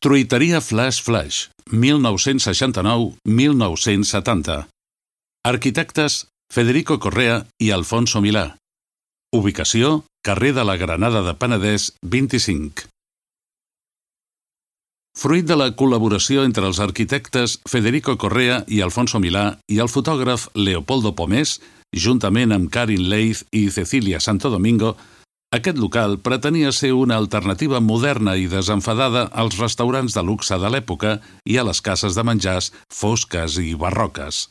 Truiteria Flash Flash, 1969-1970. Arquitectes Federico Correa i Alfonso Milà. Ubicació, carrer de la Granada de Penedès, 25. Fruit de la col·laboració entre els arquitectes Federico Correa i Alfonso Milà i el fotògraf Leopoldo Pomés, juntament amb Karin Leith i Cecilia Santo Domingo, aquest local pretenia ser una alternativa moderna i desenfadada als restaurants de luxe de l'època i a les cases de menjars fosques i barroques.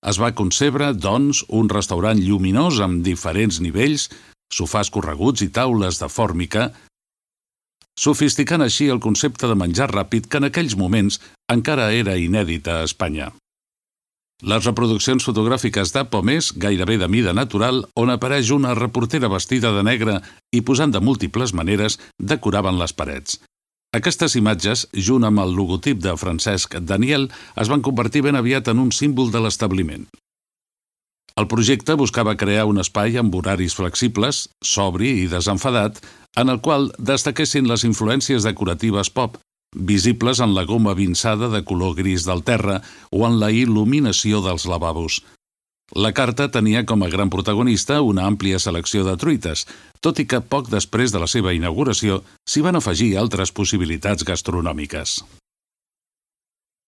Es va concebre, doncs, un restaurant lluminós amb diferents nivells, sofàs correguts i taules de fòrmica, sofisticant així el concepte de menjar ràpid que en aquells moments encara era inèdit a Espanya. Les reproduccions fotogràfiques de Pomés, gairebé de mida natural, on apareix una reportera vestida de negre i posant de múltiples maneres, decoraven les parets. Aquestes imatges, junt amb el logotip de Francesc Daniel, es van convertir ben aviat en un símbol de l'establiment. El projecte buscava crear un espai amb horaris flexibles, sobri i desenfadat, en el qual destaquessin les influències decoratives pop, visibles en la goma vinçada de color gris del terra o en la il·luminació dels lavabos. La carta tenia com a gran protagonista una àmplia selecció de truites, tot i que poc després de la seva inauguració s'hi van afegir altres possibilitats gastronòmiques.